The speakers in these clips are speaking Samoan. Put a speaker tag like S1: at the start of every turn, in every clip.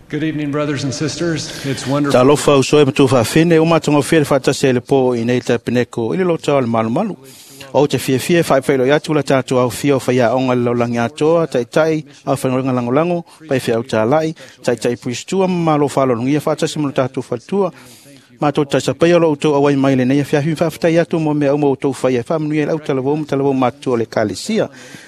S1: Good evening, brothers and sisters. It's wonderful.
S2: Talofa uso e matu whawhine, o matonga whia le whaatasi le pō i nei tapeneko i le lota o le malumalu. O te fiafia whaewhailo i atu la tātou au fia o whaia onga le laulangi atoa, taitai, au whangorenga langolango, pai whia au tālai, taitai puistua, malo whalolongia whaatasi mo le tātou whatua. Mātou taisapai o lo utou awai mai le nei awhiawhi whawhitai atu mo mea uma utou whaia whaamanuia le au talavou ma talavou mātua o le Kalesia.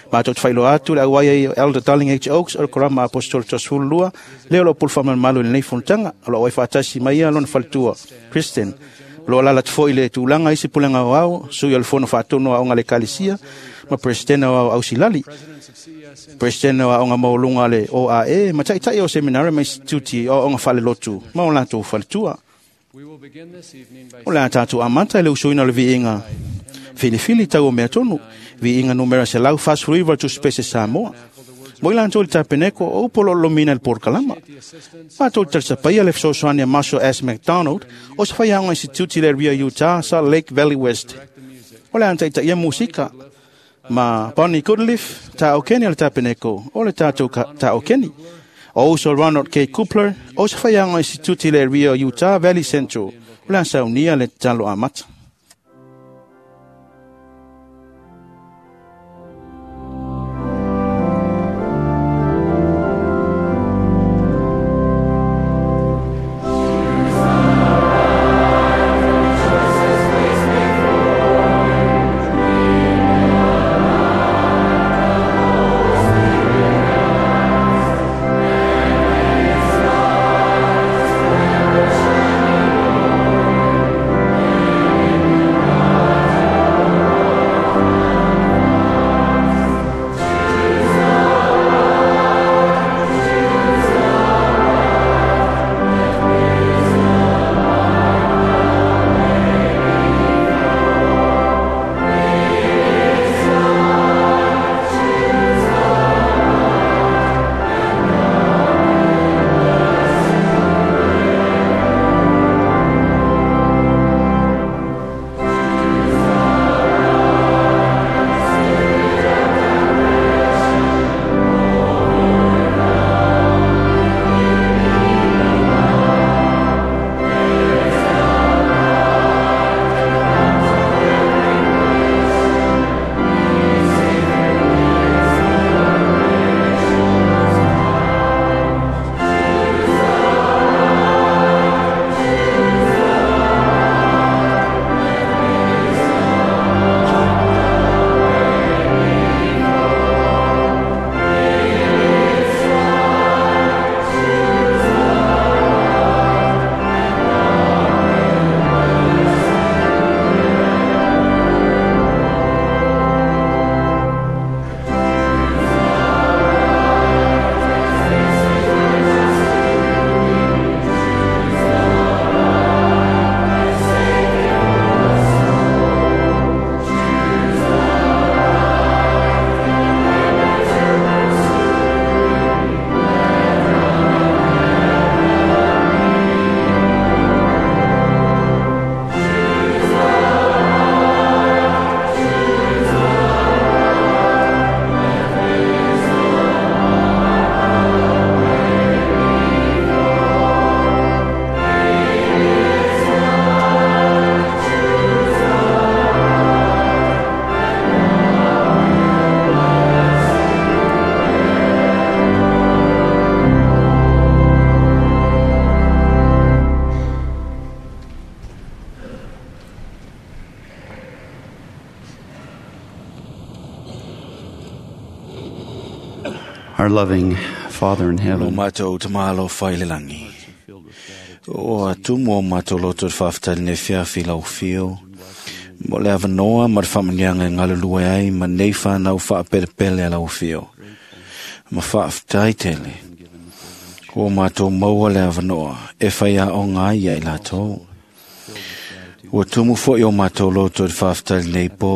S2: Mātou te whailo atu le auai ai Elder Darling H. Oaks o le Korama Apostolo Tosfulu lea o lo pulu whaamalumalu le nei fonotanga o lo awai whaatasi mai ia lona faletua Kristen. Lo alala te foi le tūlanga isi pulenga o au, sui o le fono whaatono a onga le Kalesia, ma Presidente o au Ausilali. Presidente o aonga maulunga le OAE, ma taitai o seminari ma instituti o aonga whalelotu, ma o lātou faletua. O le a tātou amata le usuina o le viiga filifili tau o mea tonu, viiga numera 149 tusipese Samoa. Mo i latou le tapeneko o upu o lo o lomina le porokalama. Mātou te talisapaia le fesoasoani a Marshall S. McDonald o se faiaoga instituti le Rio Utah, Salt Lake Valley West. O le a taitaia musika ma Bonnie Goodleaf, taokeni o le tapeneko o le tātou taokeni. O uso Ronald K. Cooper, o se faiaoga instituti le Rio Utah Valley Central. O le a saunia le tatalo amata.
S3: Our loving Father in
S2: Lo
S3: heaven,
S2: mātou te mālo whai le langi. O atumu o mātou loto te whawhitari nei whiawhi lau whio. Mo le awanoa ma te whamanianga e ngalulue ai ma nei whanau whaapelepele a lau whio. Ma whawhitai tele. O mātou maua le awanoa e whai a o ngā ia i lātou. Ua tumu foi o mātou loto te whawhitari nei pō.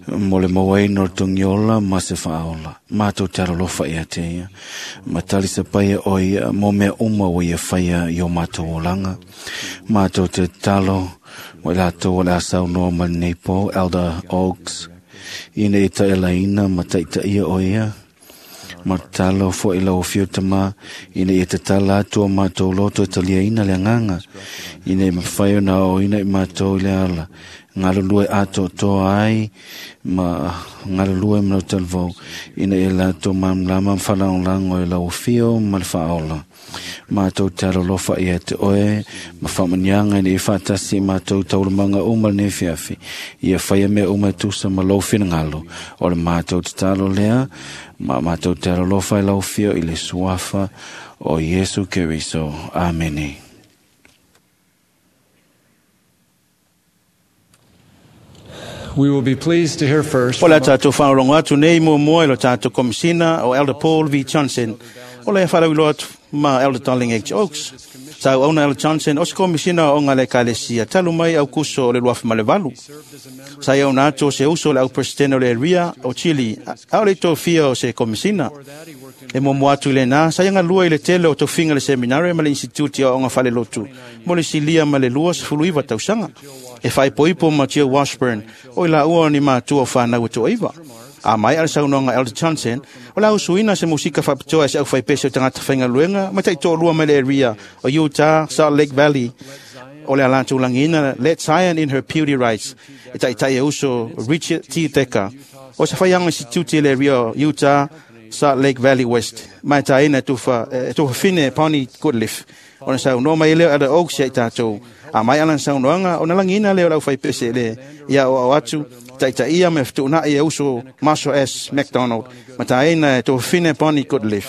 S2: Mo le mauaina o le togiola ma se faaola. Mātou te alolofa ia te ia. Ma talisa paia o ia mo mea uma o ia whaia i o mātou olanga. Mātou te talo mo i lātou o le asau noa ma nei pō, Elder Oaks. Ina i taelaina ma taitaia o ia.
S4: Ma tatalo fo'i lau afio Tamā, ina ia tatala atu o matou loto e taliaina le agaga, ina ia mafai ona aoaoina i matou i le ala, galulue atoatoa ai ma galulue ma lau talavou, ina ia latou malamalama ma faalagolago i lau afio ma le faaola. Matou te alolofa ia te oe ma faamaniaga ina ia faatasi i matou taualumaga uma lenei afiafi. Ia faia mea uma e tusa ma lou finagalo. O le matou tatalo lea, ma matou te alolofa i lau afio i le suafa o Iesu Keriso. Amene.
S1: We will be pleased to hear first
S2: O le a tatou faalogologo atu nei muamua i lo tatou Komisina o Elder Paul V. Johnson, o le faalauiloa atu ma Elder Darling H. Oaks. Sa auauna Elder Johnson o se Komisina o Aoga a le Ekalesia talu mai Aukuso o le 2008. Sa ia ona atu o se uso o le au presidente o le area o Chile, a o le tofia o se Komisina. E muamua atu i lena, sa ia galue i le tele o tofiga le seminare ma le instituti o aoga faalelotu mo le silia ma le 29 tausaga. E faaipoipo ma Jill Washburn, o i laua o ni matua o whanau e toaiva. A mai a le saunoaga Elder Johnson, o le ausuina se musika faapitoa e se aufaipese o tagata faigaluega ma taitoalua mai le area o Utah, Salt Lake Valley, o le alatou lagiina Let Zion in Her Beauty Rise, e taitai e uso Richard T. Decker, o se faiaga instituti i le area o Utah, Salt Lake Valley West, ma e taina e tufafine Bonnie Goodliff. Ona saunoa mai lea o Elder Oaks ia i tatou. A mai ala saunoaga, ona lagiina lea o le aufaipese le ia o au atu, taitaia me fetuunai e uso Marshall S. McDonald, ma taina e tufafine Bonnie Goodliff.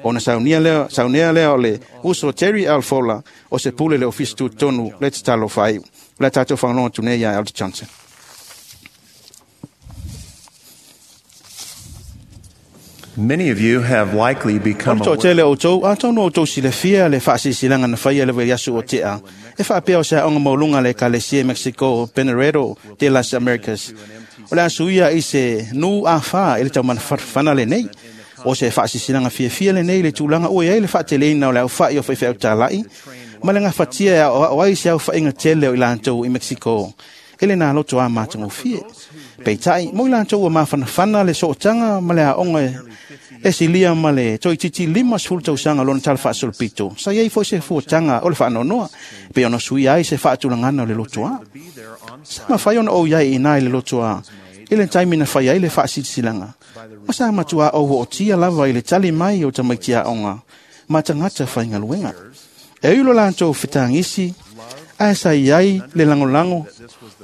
S2: Ona saunia lea o le uso Terry L. Fowler, o se pule le ofisi tutonu le tatalo faaiu. O le tatou faalogologo atu nei ia Elder Johnson.
S5: Many of you have likely become
S2: O le toatele o outou, atonu o outou silafia le faasilasilaga na faia le vaiaso o tea, e faapea o se aoga maualuga le Ekalesia i Mexico, Benaredo de las Americas. O le a suia i se nu a whā i le taumanafana lenei. O se faasilasilaga fiafia lenei le tulaga ua i ai le faateleina o le aufai o faifeau talai, ma le gafatia e aoao ai se aufaiga tele o i latou i Mexico. E le nā loto a matagofie. Peitai, mo i latou ua mafanafana le sootaga ma le aoga e silia ma le toeitiiti 50 tausaga lona tala faasolopito. Sa iai foi se fuataga o le faanoanoa, pe ona suia ai se faatulagana o le lotoa. Sa mafai ona ou iai i inā i le lotoa, i le taimi na fai ai le faasilasilaga. Ma sa matua ou ootia lava i le tali mai o tamaiti aoga, ma tagata faigaluega. E ui lo latou fetagisi, ae sa iai le lagolago,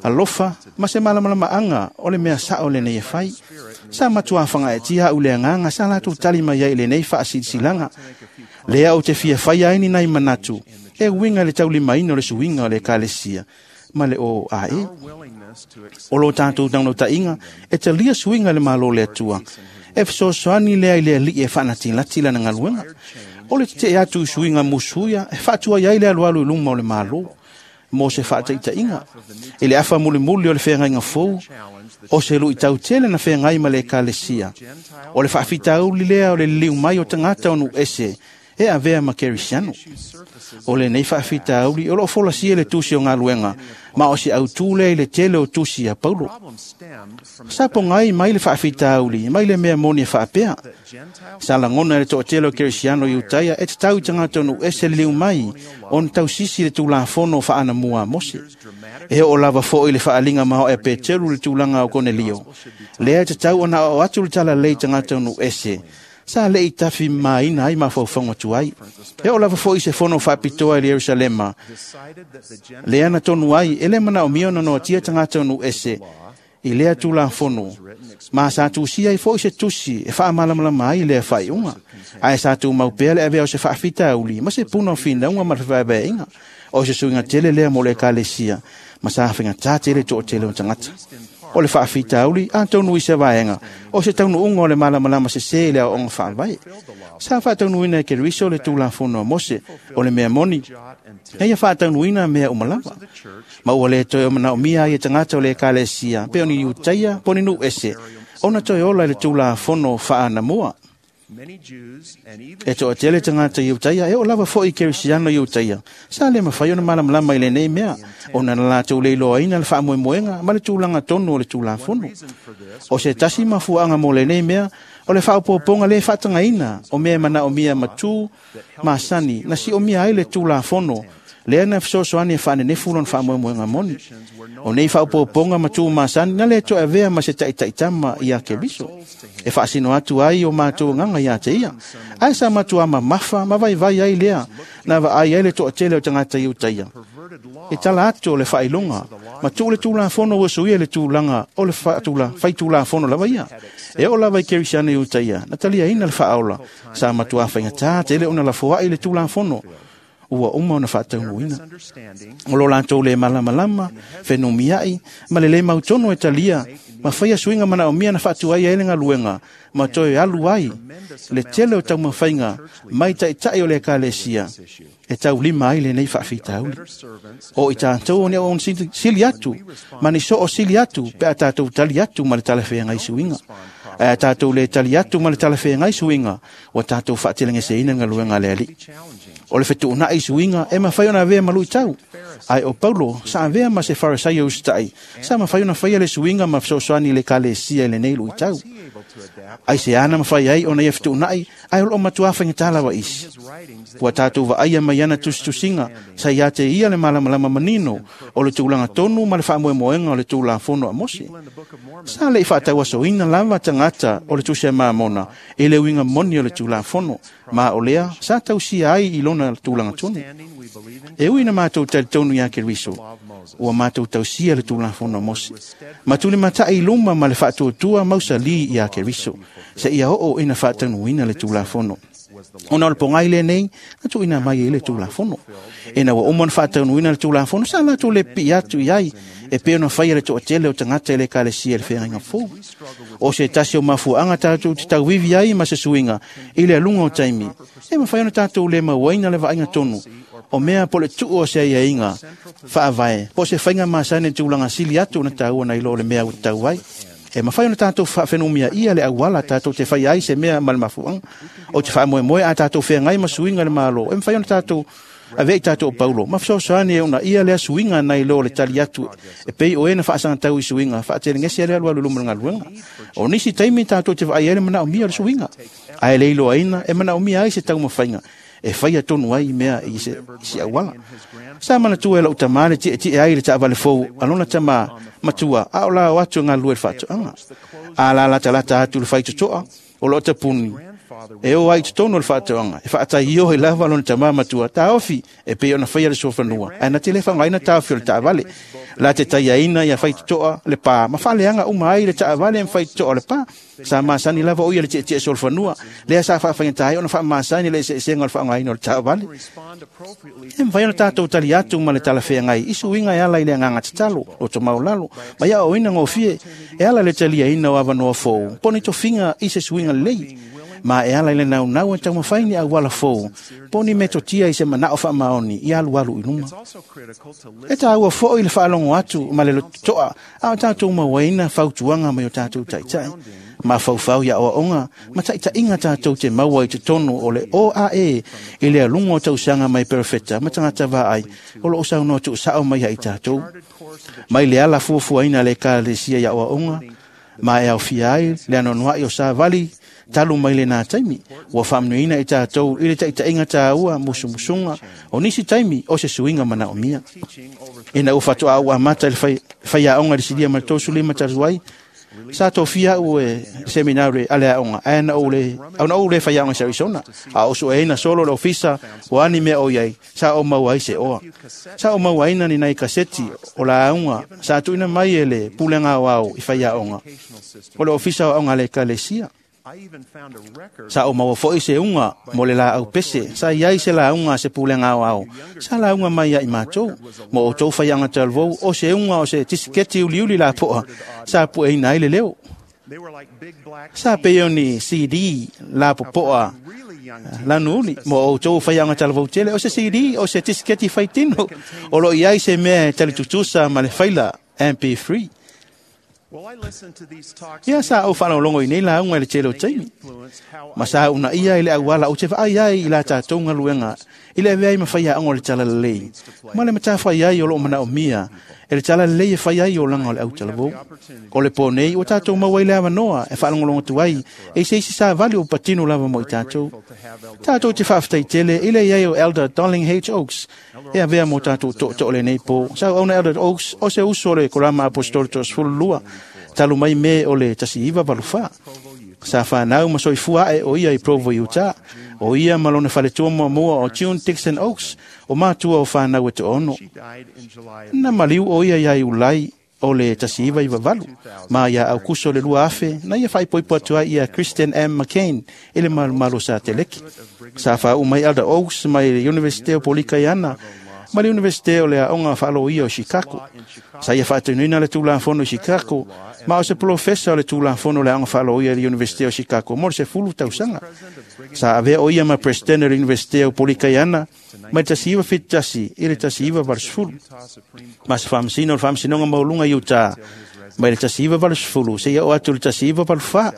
S2: alofa, ma se malamalamaaga o le mea sao lenei e fai. Sa matua fagaetia au le agaga sa latou tali mai ai i lenei faasilasilaga. Lea ou te fia faia ai ni nai manatu, e uiga i le taulimaina o le suiga o le Ekalesia ma le OAE. O lo tatou taunotaiga e talia suiga i le Malo le Atua, e fesoasoani lea i le alii e faanatilati lana galuega. O le tetee atu i suiga musuia e faatuai ai le alualu i luma o le Malo, mo se faataitaiga. I le afa mulimuli o le feagaiga fou, o se luitau tele na feagai ma le Ekalesia. O le faafitauli lea o le liliu mai o tagata o nuu ese e avea ma Kerisiano. O lenei faafitauli o loo folasia le tusi o galuega, ma o se autū lea i le tele o tusi a Paulo. Sa pogai mai le faafitauli, mai le mea moni e faapea. Sa lagona e le toatele o Kerisiano i Utaia e tatau i tagata o nuu ese liliu mai ona tausisi le tulafono faanamua a Mose. E oo lava foi le faaliga maoae a Peteru le tulaga o Konelio. Lea e tatau ona aoao atu le talalelei i tagata o nuu ese. Sa lei tafi maina ai mafaufauga tuai. E oo lava foi se fono faapitoa i le Ierusalema. Lea na tonu ai, e le manaomia ona noatia tagata o nuu ese i lea tulafono. Ma sa tusia ai foi se tusi e faamalamalama ai lea faaiuga. Ae sa tumau pea le avea o se faafitauli ma se puna o finauga ma le fevaevaeaiga. O se suiga tele lea mo le Ekalesia, ma sa faigata tele toatele o tagata. O le faafitauli atonu i se vaega, o se taunuuga o le malamalama sesē i le aoaoga faavae. Sa faataunuuina e Keriso le tulafono a Mose, o le mea moni, na ia faataunuuina mea uma lava. Ma ua le toe manaomia ai e tagata o le Ekalesia, pe o ni Iutaia, po o ni nuu ese, ona toe ola i le tulafono faanamua. E toʻatele tagata Iutaia e oo lava foʻi Kerisiano Iutaia sa le mafai ona malamalama i lenei mea ona na latou le iloaina le faamoemoega ma le tulaga tonu o le Tulafono. O se tasi mafuaaga mo lenei mea o le faaopoopoga lē faatagaina o mea e manaomia matū masani na siomia ai le Tulafono lea na fesoasoani e faanenefu lona faamoemoega moni. O nei faaopoopoga ma tū masani na lē toe avea ma se taʻitaʻitama iā Keriso e faasino atu ai o matou agaga iā te ia, ae sa matuā mamafa ma vaivai ai lea na vaai ai le toʻatele o tagata Iutaia e tala atu o le faailoga ma tuu le Tulafono ua suia le tulaga o le faitulafono lava ia. E oo lava i Kerisiano Iutaia na taliaina le faaola sa matuā faigatā tele ona lafoaʻi le Tulafono ua uma ona faataunuuina. O lo latou lē malamalama, fenumiaʻi ma le lē mautonu e talia ma faia suiga manaomia na faatuai ai le galuega ma toe alu ai le tele o taumafaiga mai taʻitaʻi o le Ekalesia e taulima ai lenei faafitauli. O i tatou o ni auauna sili atu ma ni soo sili atu pe a tatou tali atu ma le talafeagai suiga. Ae a tatou lē tali atu ma le talafeagai suiga, ua tatou faatelegeseina le galuega a le Alii. O le fetuunaʻi suiga e mafai ona avea ma luitau, ae o Paulo sa avea ma se Farisaio usitaʻi sa mafai ona faia le suiga ma fesoasoani i le Ekalesia i lenei luitau. Ai se ana mafai ai ona ia fetuunaʻi, ae o loo matuā faigata lava isi. Ua tatou vaaia mai ana tusitusiga sa iā te ia le malamalama manino o le tulaga tonu ma le faamoemoega o le Tulafono a Mose. Sa leʻi faatauasoina lava tagata o le Tusi a Mamona i le uiga moni o le Tulafono, ma o lea sa tausia ai i lona tulaga tonu. E ui na matou talitonu iā Keriso, ua matou tausia le Tulafono a Mose, ma tulimataʻi i luma ma le faatuatua mausalī iā Keriso, seia oo ina faataunuuina le Tulafono. Ona o le pogai lenei na tuuina mai ai le Tulafono. Ina ua uma ona faataunuuina le Tulafono, sa latou le pipii atu i ai e pei ona faia le toʻatele o tagata i le Ekalesia i le feagaiga fou. O se tasi o mafuaaga tatou te tauivi ai ma se suiga i le aluga o taimi, e mafai ona tatou le mauaina le vaaiga tonu o mea po le tuu o se aiaiga faavae po o se faiga masani i tulaga sili atu ona taua nai lo o le mea ua tatau ai. E mafai ona tatou faafenumiaia le auala tatou te fai ai se mea ma le mafuaaga. O te faamoemoe a tatou feagai ma suiga i le Malo, e mafai ona tatou avea i tatou o Paulo ma fesoasoani e uunaia lea suiga nai lo le tali atu e pei o e na faasagatau i suiga faatelegese le alualu i luma o le galuega. O nisi taimi tatou te vaai ai le manaomia o le suiga, ae le iloaina e manaomia ai se taumafaiga e faia tonu ai mea i se auala. Sa manatua e lou tamā le tietie ai le taavale fou a lona tamā matua a o la o atu e galulue i le faatoaga. A lalatalata atu le faitotoa o loo tapuni e o ai i totonu o le faatoaga e faataioe lava lona tamā matua taofi e pei ona faia le suafanua, ae na te le faaaogaina taofi o le taavale. La te taiaina ia faitotoa le pā ma faaleaga uma ai le taavale ma faitotoa o le pā. Sa masani lava o ia le tietie solofanua lea sa faafaigata ai ona faamasani le eseesega o le faaaogaina o le taavale. E mafai ona tatou tali atu ma le talafeagai i suiga e ala i le agaga tatalo, loto maulalo ma ia aoaoina gofie e ala i le taliaina o avanoa fou po o ni tofiga i se suiga lelei, ma e ala i le naunau e taumafai ni auala fou po o ni metotia i se manao faamaoni i alualu i luma. E taua foʻi le faalogo atu ma le lototoa a o tatou mauaina fautuaga mai o tatou taʻitaʻi mafaufau ia aoaoga ma taʻitaʻiga tatou te maua i totonu o le OAE i le aluga o tausaga mai perofeta ma tagata vaai o loo saunoa tuusaʻo mai ai tatou. Mai le ala fuafuaina a le Ekalesia i aoaoga ma e aofia ai le anoanoaʻi o savali talu mai lenā taimi, ua faamanuiaina i tatou i le taʻitaʻiga taua musumusuga o nisi taimi o se suiga manaomia. Ina ua faatoa ou amata i le faiaoga i le silia ma le 35 talu ai, sa tofia au e seminare a le aoga, ae na ou le faiaoga i Arizona, a o sueina solo le ofisa o ani mea o iai, sa o maua ai se oa. Sa o mauaina ni nai kaseti o lauga sa tuuina mai e le pulega aoao i faiaoga o le ofisa o aoga a le Ekalesia. Sa o maua foʻi se uga mo le laau pese sa iai se lauga a se pulega aoao sa lauga mai ia i matou mo outou faiaga talavou o se uga o se tisiketi uliuli lapoa sa pueina ai le leo. Sa pei o ni CD lapopoa lanuuli mo outou faiaga talavou tele o se CD o se tisiketi faitino o loo iai se mea e talitutusa ma le faila MP3. Ia sa ou faalogologo i nei lauga i le tele o taimi. Ma sa uunaia i le auala ou te vaai ai i la tatou galuega i le avea ai ma faiaoga o le Talalelei ma le matafai ai o loo manaomia e le Talalelei e fai ai olaga o le autalavou. O le pō nei ua tatou maua ai le avanoa e faalogologo atu ai e se isi savali ua patino lava mo i tatou. Tatou te faafetai tele i le iai o Elder Darling H. Oaks e avea mo tatou tootoo lenei pō. Sa auauna Elder Oaks o se uso o le Korama Apostolo 12 talu mai me o le 1984. Sa whanau ma soifua ae o ia i Provo, Utah. O ia ma lona faletua muamua o June Dixon Oaks o matua o whanau e to'ono. Na maliu o ia ia Iulai o le 1998 ma ia Aukuso le 2000 na ia faaipoipo atu ai ia Christian M. McCain i le malumalu sa teleki. Sa whaau mai Elder Oaks mai le Universite o Polikaiana ma le Universite o le Aoga Faaloia o Chicago. Sa ia faatunuina le Tulafono i Chicago, ma o se polofesa o le Tulafono o le Aoga Faaloia i le Universite o Chicago mo le 10 tausaga. Sa avea o ia ma presidente o le Universite o Polikaiana mai le 1971 i le 1980. Ma se faamasino o le Faamasinoga Maualuga i Utah mai le 1980 seia oo atu i le 1984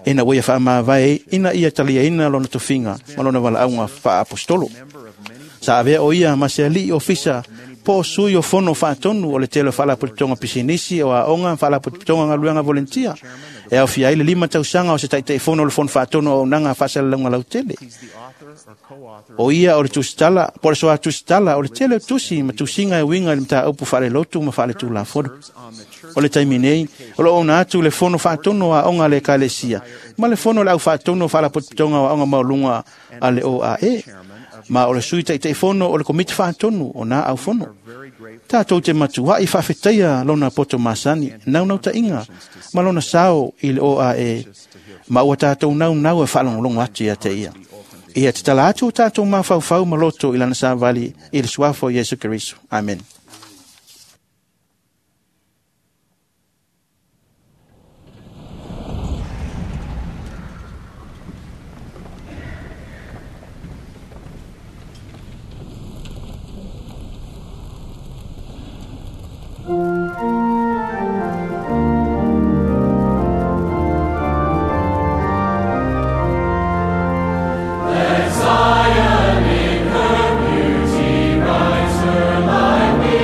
S2: ina ua ia faamavae ina ia taliaina lona tofiga ma lona valaauga faaapostolo. Sa avea o ia ma se alii ofisa po o sui o fono faatonu o le tele o faalapotopotoga pisinisi o aoga faalapotopotoga galuega volentia e aofia ai le 5 tausaga o se taitaifono o le fono faatonu o auaunaga faasalalauga lautele. O ia o le tusitala po o le soa tusitala o le tele o tusi ma tusiga e uiga i le mataupu faalelotu ma faaletulafono. O le taimi nei, o loo ona atu le fono faatonu o aoga a le Ekalesia ma le fono o le aufaatonu o faalapotopotoga o aoga maualuga a le OAE. Ma o le sui taitaifono o le komiti faatonu o nā aufono. Tatou te matuai faafetaia lona poto masani, naunautaiga ma lona sao i le OAE, ma ua tatou naunau e faalogologo atu ia te ia. Ia tatala atu o tatou mafaufau ma loto i lana savali i le suafa o Iesu Keriso. Amen.
S6: Let Zion in her beauty rise, her light.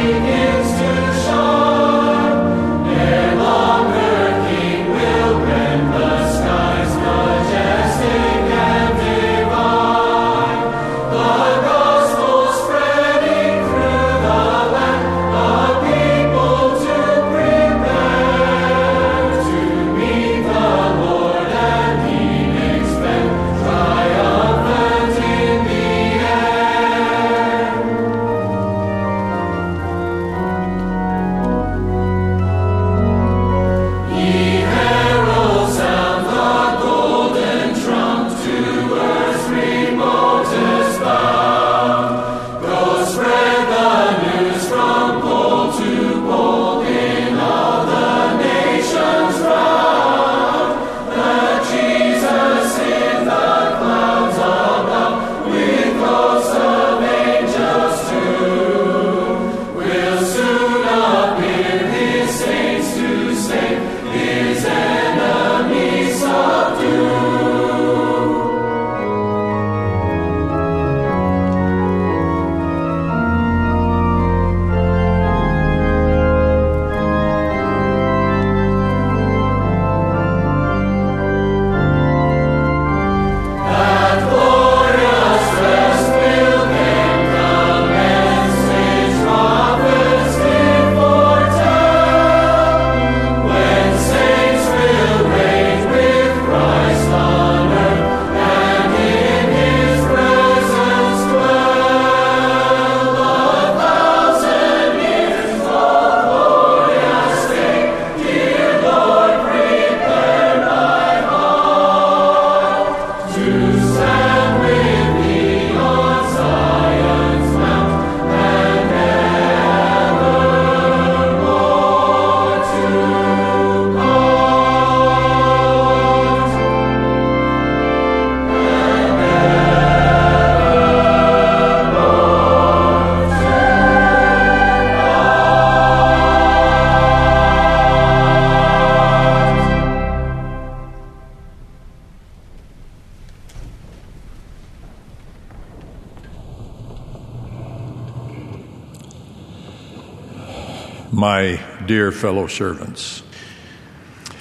S6: My dear fellow servants.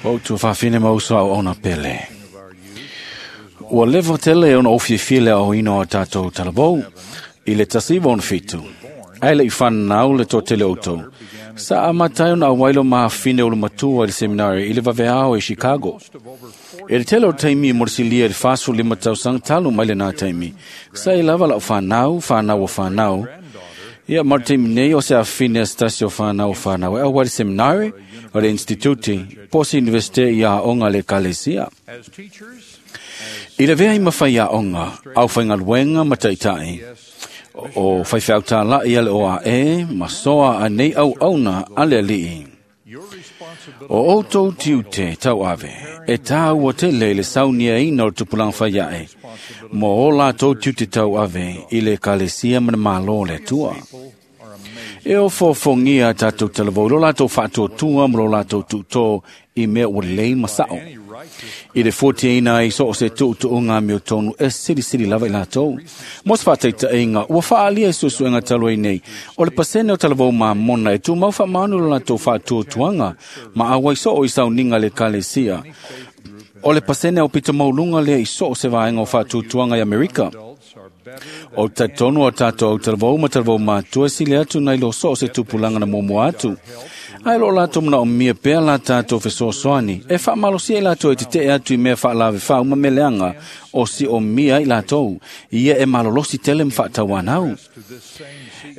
S4: O tu whawhine mausa o ona pele. Ua lewa tele ona ofiafia le aoina o tātou talavou i le tasiva ona fitu. Ai le i whanau le tō tele outou. Sa a matai ona awailo mahafine o le matua i le seminari i le vaveao i Chicago. E le tele o taimi mo le silia i le fasu lima tausanga talu mai le nā taimi. Sa i lava lau whanau, whanau o whanau. Ia mar taimi nei o se afine a stasi o whanau o whanau e awa le seminari o le instituti, posi universite i a onga le kalesia. I le vea i mawhai a onga, au whaingaluenga ma taitai, o whaiwhau tā la i ale o a e, ma soa a nei au auna ale alii. O outou tiute tau ave, e tā ua tele i le saunia ina o tupulanga whaiae, mo o lātou tiute tau ave i le kalesia mana mālo le tua. E o fōfongia tātou talavou, lo lātou whaatuatua mo lo lātou tūtō i mea ua lei masao. I le fuatiaina ai so o se tuutuunga meo tonu e silisili lava i lātou. Mo se whātaitainga, ua whaalia i susuenga talo ai nei, o le pasene o talavou mamona e tūmau whaamanu lo lātou whaatuatuanga, ma awai so o i sauninga le kalesia. O le pasene o pito maulunga lea i so o se vaenga o whaatuatuanga i Amerika. O tatonu o tātou au talavou ma talavou mātua sile atu nei lo so o se tupulanga na momoa atu. Ai lo lātou mana o mia pea la tātou fesoasoani. E whaamalosia i lātou e te te atu i mea whaalave whauma meleanga o si o mia i lātou. Ia e malolosi tele mwhaatauanau.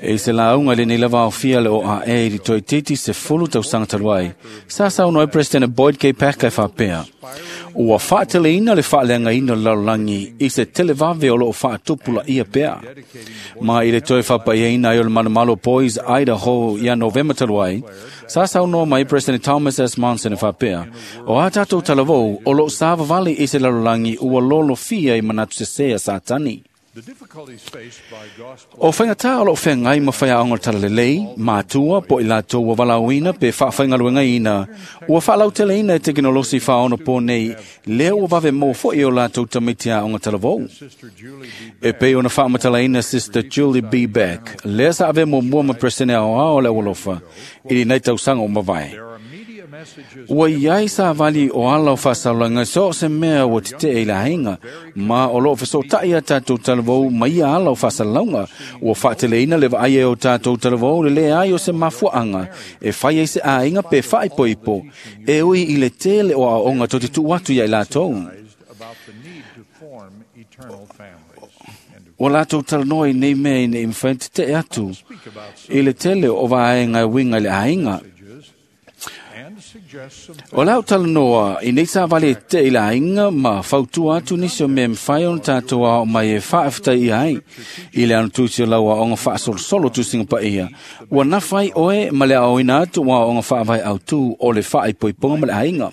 S4: E se launga le nei lava o fia le o a e i toi titi se fulu tau sangataluai. Sa saunoa e President Boyd K. Packer e whapea. Ua whaateleina le whaaleanga ina lalolangi i se televave o loo whaatupula ia pea. Ma i le toi whapaiaina i o le manumalo Boys Idaho ia November taluai, sa saunoa mai President Thomas S. Monson e whapea. O a tātou talavou o loo sāvavali i se lalolangi ua lolo fia i manatu sesea satani. O whaingatā o loo whengai ma whaia ongo talalelei, mātua, po i lātou ua walauina pe whaawhaingaluenga ina, ua whaalautele ina e tekinolosi whaono pō nei, lea ua vave mō fo i o lātou tamitia ongo talavou. E pei ona whaamatala ina Sister Julie B. Beck, lea sa ave mō mua ma presene ao ao le walofa, i li nei tausanga o mawai. Ua iai sa vali o ala o whasaulanga so se mea ua te te e la hinga, ma o loo wheso tai a tātou talavou mai ia ala o whasalaunga, ua whaateleina le vaai e o tātou talavou le lea ai o se mafuaanga, e whai ai se āinga pe whaipoipo, e ui i le tele o aonga tō te tu atu ia i lātou. O lātou talanoa i nei mea i nei mwhai te te atu, i le tele o vaenga e winga i le āinga. O lau talanoa, i nei sa vale te i la inga ma fautua atu nisi o mea mwhai ona tātou ao mai e whaafta i ai. I le anu tūsi o lau aonga whaasolosolo tūsinga pa ia. Ua nawhai oe ma le aoina atu wa aonga whaavai au tū o le whaaipoiponga ma le ainga.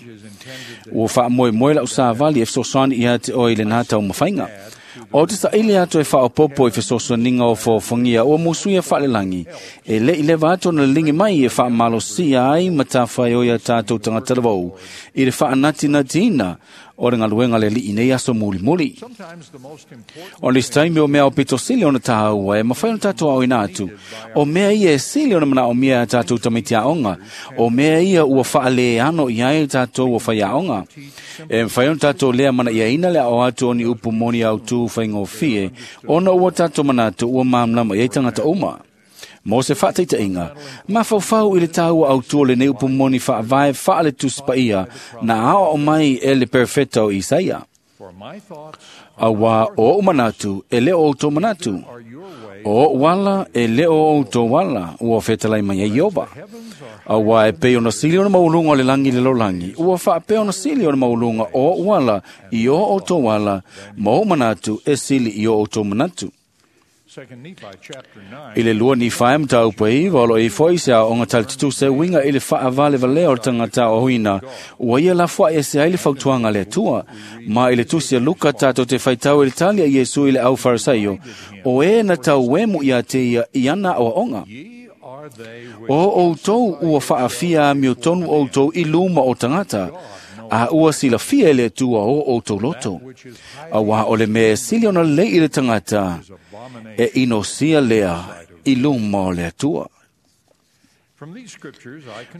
S4: Ua whaamoe moe lau sa vali e fesoasoani ia te oe i le nā tau mawhainga. O te saili atu e whaopopo i fesoasoaninga o fōfongia ua musuia whaalelangi. E le i lewa atu na lingi mai e whaamalosia ai ma tāwhai o ia tātou tangata lavou. I le whaanatinatina o le ngaluenga le lii nei aso muli muli. O le taimi o mea o pito sili ona tāua e mawhai ona tātou au ina atu. O mea ia e sili ona mana o mea a tātou tamiti aonga. O mea ia ua whaale ano i ai tātou ua whai aonga. E mwhai ona tātou lea mana ia ina lea o atu o ni upu moni au tū whaingofie. Ona ua tātou mana atu ua mamlama i tangata uma. Mo se whaataitainga, mawhauwhau i le tāua au tua le nei upu moni whaavae whaale tusipaia na ao o mai e le perfecto Isaia. Awa o manatu e leo o tō manatu. O wala e leo o tō wala ua whetalai mai e Iova. Awa e pe ona sili ona maulunga o le langi le lolangi. Ua whaapea ona sili ona maulunga o wala i o o tō wala ma o manatu e sili i o o tō manatu. I le lua ni whae mta upa i, walo i foi se a onga talitutu se winga i le whaavale valea o tangata o huina, ua ia la fua e se ai le fautuanga le atua, ma i le tusi a Luka tātou te whaitau i le talia Iesu i le au Farisaio, o e na tau wemu ia te ia i ana o onga. O outou ua whaafia a mio tonu outou i luma o tangata, a ua sila fia le atua o outou loto. A wā o le mea sili ona le i le tangata, e inosia lea i luma o le atua.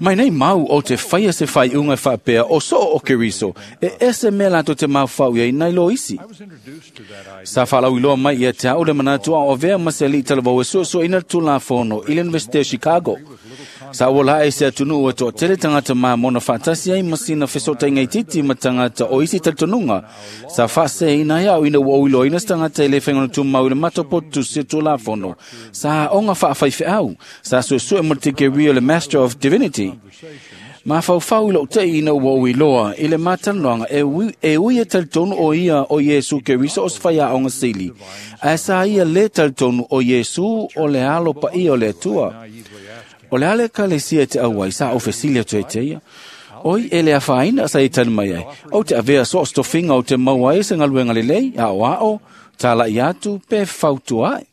S4: Mai nei mau o te whaia se whai unga whaapea o soo o Keriso, e ese mea lato te mawhau ia i lo isi. Sa whalau iloa mai ia te au le manatu a o vea maseli talavau e suo ina tūlafono i le University of Chicago. Sa ua la e se atunu ua toa tele tangata mā mona whaatasi ai masina fesota ingai titi ma tangata o isi talitonuga. Sa whaase ina iau ina ua uilo ina tangata i le whaingona tūmau i le matopotu se tūlafono. Sa onga whaawhai au. Sa suesue mo te keria le Master of Divinity. Ma whauwhau ilo te ina ua uiloa i le mātanoanga e ui e talitonu o ia o Iesu Keriso o swhaia o sili. A sa ia le talitonu o Iesu o le alo pa ia o le atua. O le ale ka le sia te auai sa o fesilia te te ia. Oi e le awhaina sa i tani mai ai. O te avea so stofinga o te maua e se ngaluenga le lei, a o ao, tala i atu pe fautua ai.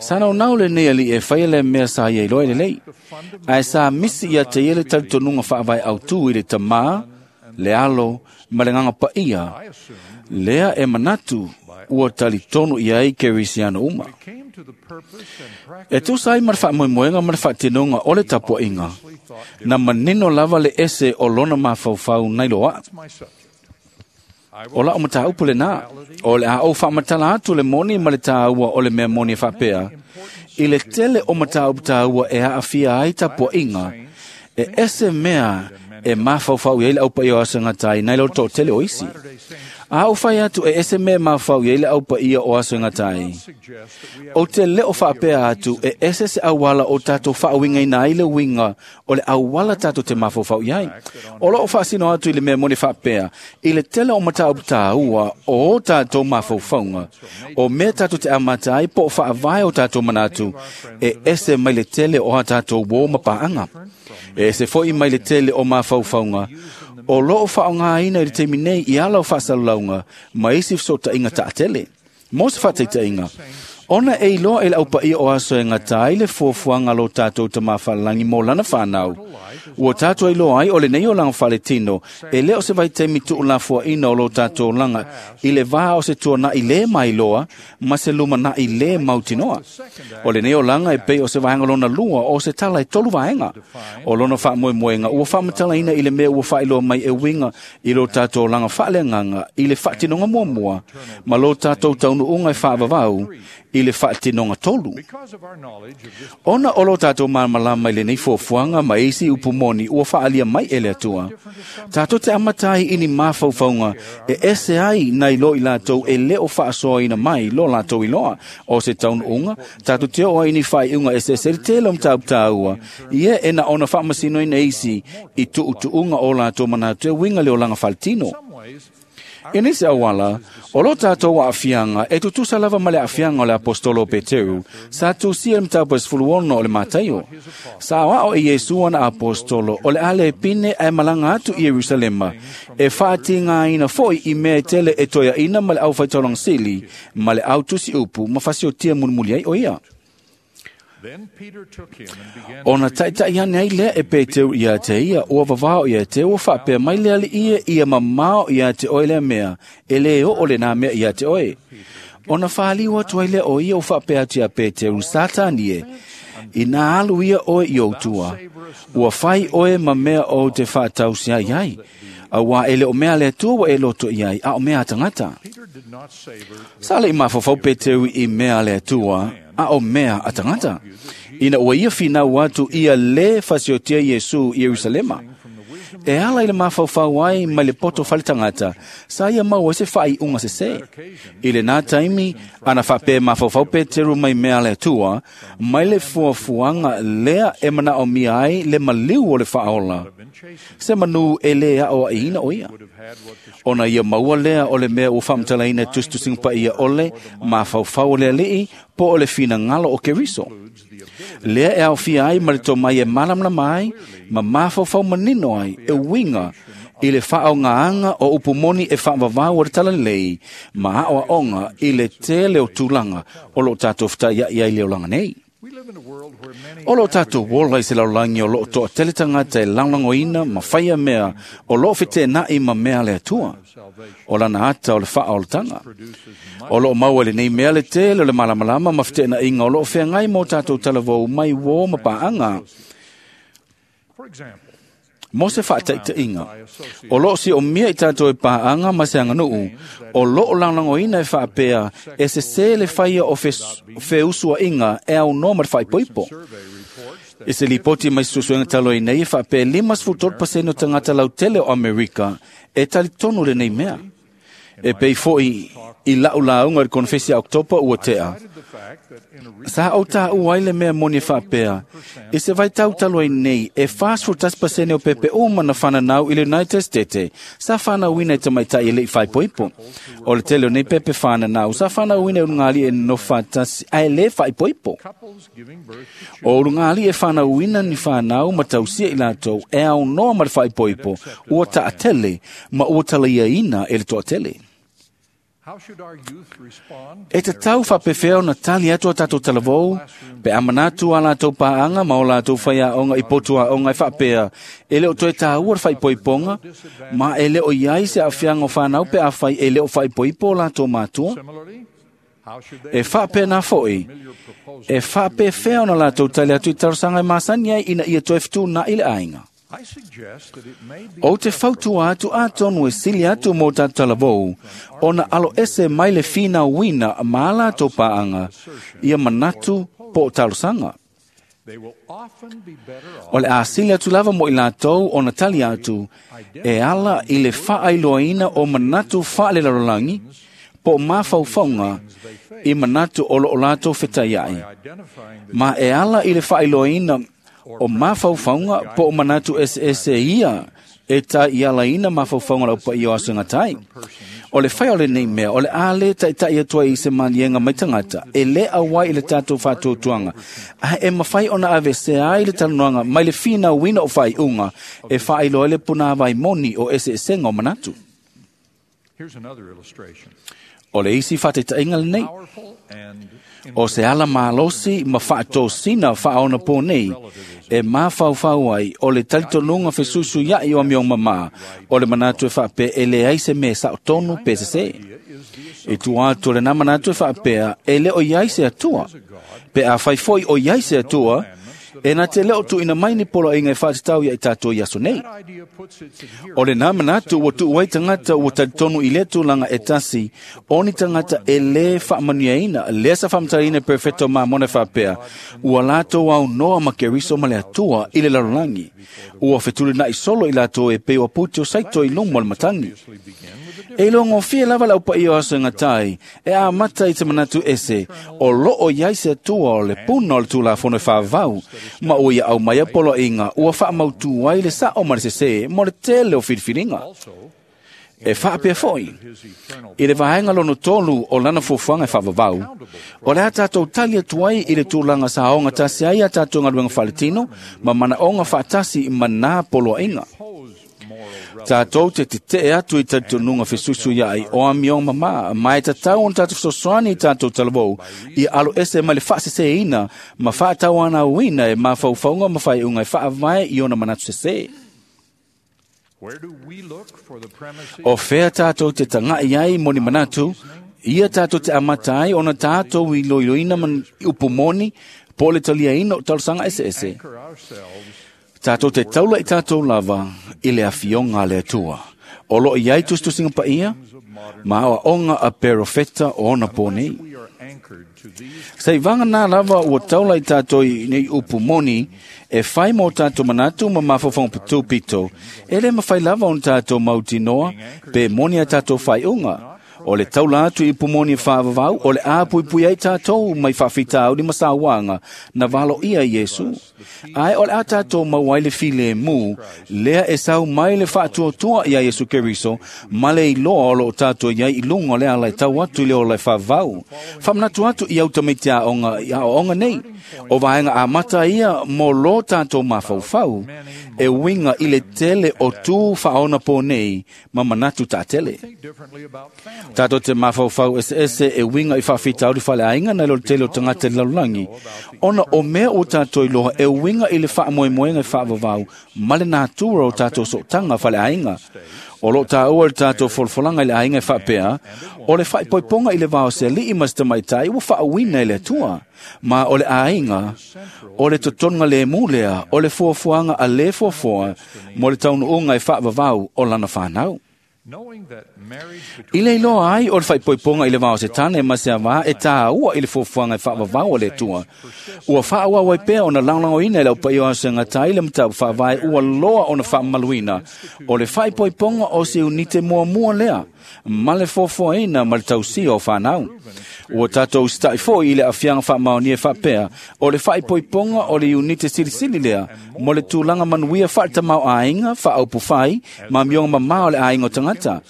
S4: Sa nau nau le nei ali e whaia le mea sa ia iloa le lei. Ae sa misi ia te ia le talitonuga whaavai au tū i le tamā, le alo, ma le nganga pa ia. Lea e manatu ua talitonu ia ai Kerisiano uma. E tūsa ai ma le whaamoemoenga ma le whaatinonga o le tapuainga. Na manino lava le ese o lona mawhauwhau nei loa. O la o mataupu le nā, o le a o whaamatala atu le moni ma le tāua o le mea moni e whaapea. I le tele o mataupu tāua e haafia ai tapuainga, e ese mea e mawhauwhau i le aupa i o aso ngatai nei lo tō tele o isi. A o whai atu e ese mea mawhau i le aupa ia o aso ngatai. O te leo whaapea atu e ese se awala o tātou whaawinga ina ai le winga o le awala tātou te mawhauwhau i ai. O lo o whaasino atu i le mea moni whaapea i le tele o mataupu tāua o o tātou mawhauwhaunga. O mea tātou te amata ai po o whaavae o tātou manatu e ese mai le tele o a tātou wō mapaanga. E se foi mai le tele o mawhauwhaunga. O loo whaonga ina i le teimi nei i ala o whaasalalaunga, ma isi sota inga taatele. Mo se whataita inga. Ona e iloa e le aupaia o aso e ngatai le fuafuaga lo tātou tamāfalalangi mo lana whanau. Ua tātou iloa ai o le nei o langa whaletino, e leo se vaitemi tuulafuaina o lo tātou langa, i le vā o se tua na i le mai loa, ma se luma na i le mautinoa. O le nei o langa e pei o se vaenga lona lua o se tala e tolu vaenga. O lona whaamoemoenga, ua whaamatalaina i le mea ua whailoa mai e winga i lo tātou langa whaaleanganga, i le whaatinonga muamua, ma lo tātou taunuunga e whaavavau, i le whaatinonga tolu. Ona o lo tātou māmalama i le nei fuafuaga ma isi upu moni ua whaalia mai e le atua. Tātou te amatai ini mawhauwhaunga e ese ai nei lo i lātou e leo whaasoaina mai lo lātou i loa. O se taunuunga, tātou te oa ini whaiunga e se se tele o mtāu Ia e na ona whaamasino ina isi i tuutuunga o lātou manatu e winga le o langa whaletino. E nese awala, o lo tātou aafianga, e tutusa lava ma le aafianga o le apostolo Peteru, sa tusia le mtapo e sefuluono o le Mataio. Sa oao e Iesu ana apostolo, o le ale e pine ae malanga atu i Yerusalema, e whaatingaina foi i mea e tele e toeaina ma le au whaitauranga sili, ma le au tusi upu, ma fasiotia mulimuli ai o ia. Ona taitai ane ai lea e Peteru ia te ia, ua vavao ia te ua whaapea mai lea li ia, ia mamao ia te oe lea mea, e le o le nā mea ia te oe. Ona whaaliu atu ai lea o ia o whaapea atu ia Peteru, Satani e, i nā alu ia oe i outua, ua whai oe ma mea o te whaatausi ai ai, a wā e le o mea le atua wa e loto i ai, a o mea tangata. Sa le i mawhawhau Peteru i mea le atua, a o mea a tangata. Ina ua ia whinau atu ia le fasiotia Iesu i Yerusalema. E ala i le mawhauwhau ai mai le poto whale tangata, sa ia mau e se whai unga se se. I le nā taimi, ana whape mawhauwhau Peteru mai mea le atua, mai le fuafuaga lea e mana o mia ai le maliu o le whaola. Se manu e le a o aina o ia. Ona ia maua lea o le mea ua whamatalaina tustusinga pa ia ole, mawhauwhau o le alii, po o le whina ngalo o Keriso. Lea e au fia ai ma le tō mai e malamlama ai, ma mawhauwhau manino ai, e winga, i le whaao ngā o upumoni e whaavavau o le talalei, ma ao aonga i le tele o tūlanga o lo tātou whataia i ai le olanga nei. O lo tātou wola i se laulagi o loo toa tele tangata e langlangoina ma whaia mea o loo fete nai ma mea le atua. O lana ata o le wha o le tanga. O loo maua le nei mea le tele o le malamalama ma fete na inga o loo whengai mō tātou talavou mai wō ma paanga. Mo se whaataita inga. O loo si o mia i tātou e paanga ma se anganuu, o loo langlangoina e whaapea e se se le whaia o feusua inga e au no ma le whaipoipo. I se lipoti mai susuenga talo i nei e whaapea 53% o tangata lautele o Amerika e tali tonu le nei mea. E pei foi i lau launga le konfesi a Oktopa ua tea. Sa au tā uai le mea moni whaapea. I se vai tau talo ai nei, e 41% o pepe uma na whananau i le United States. Sa whanauina i tamaitai e lei whaipoipo. O le tele o nei pepe whananau, sa whanauina e urungali e no whatasi, a e le whaipoipo. O urungali e whanauina ni whanau ma tausia i lātou e au noa ma le whaipoipo, ua taatele, ma ua talaiaina e le toatele. E te tau whapewheo na tali atu a tātou talavou, pe amanatu a lātou paanga ma o lātou whaia onga i potua onga i whapea, e leo toe tāua le whaipoiponga, ma e leo iai se awhianga o whanau pe awhai e leo whaipoipo o lātou mātua. E whapea nā foi, e whapewheo na lātou tali atu i tarosanga e māsani ai ina ia toe whitu nā i le ainga. O te fautua atu a tonu e sili atu mō tātou talavou, ona alo ese mai le whina wina ma lātou paanga, ia manatu po talosanga. O le asili atu lava mo i lātou ona tali atu, e ala i le whaailoaina o manatu whaale larolangi, po mawhauwhaunga i manatu o lo o lātou whetaiai. Ma e ala i le whaailoaina o mawhauwhaunga po o manatu ese ia e tā i ala ina mawhauwhaunga lau pa i o asunga tai. O le whai o le nei mea, o le ale tai tai atua i se manienga mai tangata, e le awai i le tātou whātōtuanga. A e mawhai ona ave se ai le talanoanga mai le whina wina o whai unga, e whailoa le puna vai moni o ese esenga o manatu. O le isi whātetainga le nei, o se ala malosi ma whaatosina whaona pō nei, e mawhauwhau ai o le talitonunga fesusu iai o amiong mama, o le manatu e whaapea e le ai se me sao tonu pe se se. I tua atu le nā manatu e whaapea e le o iai se atua, pe a whaifoi o iai se atua, e nā te leo tu ina mai ni polo inga e whaatatau ia i tātou i aso nei. O le nā manatu ua tuuai tangata ua talitonu i le tūlanga e tasi, o ni tangata e le whaamanuiaina, le sa whaamatarina perfecto mā mona whaapea, ua lātou au noa ma keriso ma le atua i le larolangi. Ua whetuli na i solo i lātou e pei o puti o saito i lungo le matangi. E longo fie lava lau pa i o aso ngatai, e a mata i te manatu ese, o loo iai se atua o le puna o le tūlafono e whaavau, ma o ia au mai a polo inga, ua whaamautu ai le sa o ma le sese, mo le tele o whiriwhiringa. E whaapea foi, i le vaenga lono tolu o lana fuafuaga e faavavau, o le a tātou tali atu ai i le tulaga sa aogatasi ai a tātou galuega faaletino ma manaoga faatasi ma nā poloaiga. Tātou te tetee atu i talitonuga fesusu iaai o amioga mamā, ma e tatau ona tatou fesoasoani i tātou talavou ia alo ese mai le faaseseina ma faatauanauina e mafaufauga ma faaiuga e faavae i ona manatu sesē. O fea tātou te tangai ai moni manatu, ia tātou te amata ai ona tātou i loiloina man upu moni, po le taliaina o talosaga eseese. Tātou te taula i tātou lava i le afioga a le Atua. O loo iai tusitusiga paia, ma aoaoga a perofeta o ona pō nei. Saivaga nā lava ua taula i tātou i nei upu moni, e whai mō tātou manatu ma mafaufauga pito, e le mawhai lava ona tātou mautinoa, pe moni a tātou whaiunga. O le taula atu i pumoni e whaavavau, o le āpuipui ai tātou mai whawhitauri ma sāwanga, na valo ia Iesu. Ai o le a tātou mau ai le file mū, lea e sau mai le whaatuatua ia Iesu Keriso, ma le iloa o lo tātou iai i lunga o le ala e tau atu i le o le whaavau. Whamanatu atu i au tamaitea a onga nei, o vaenga a mata ia mō lo tātou mafaufau, e winga i le tele o tū whaona pō nei, ma manatu tā tele. Tātou te mafaufau ese e winga i whaafitauri whale ainga na lo tele o tangata i lalolagi. Ona o mea o tātou iloa e winga i le whaamoemoenga i whaavavau ma le natura o tātou sootanga whale ainga. O lo tāua le tātou folafolanga i le aiga e faapea, o le faaipoipoga i le vao se ali'i ma se tamaitai ua faauina e le Atua. Ma o le aiga, o le totoga lemu lea, o le fuafuaga a lē fuafua mo le taunuuga e faavavau o lana fanau. I le iloa ai o le faaipoipoga i le vao se tane ma se avā e tāua i le fuafuaga e faavavau a le Atua. Ua faaauau ai pea ona lagolagoina e le aupaia o asoegatai le mataupu faavae ua loa ona faamamaluina o le faaipoipoga o se unite muamua lea ma le fuafuaina ma le tausia o fanau. Ua tatou usita'i fo'i i le aafiaga faamaonia e faapea o le faaipoipoga o le iunite silisili lea mo le tulaga manuia faaletamāo'āiga faaupufai ma amioga mamā o le aiga o tagata.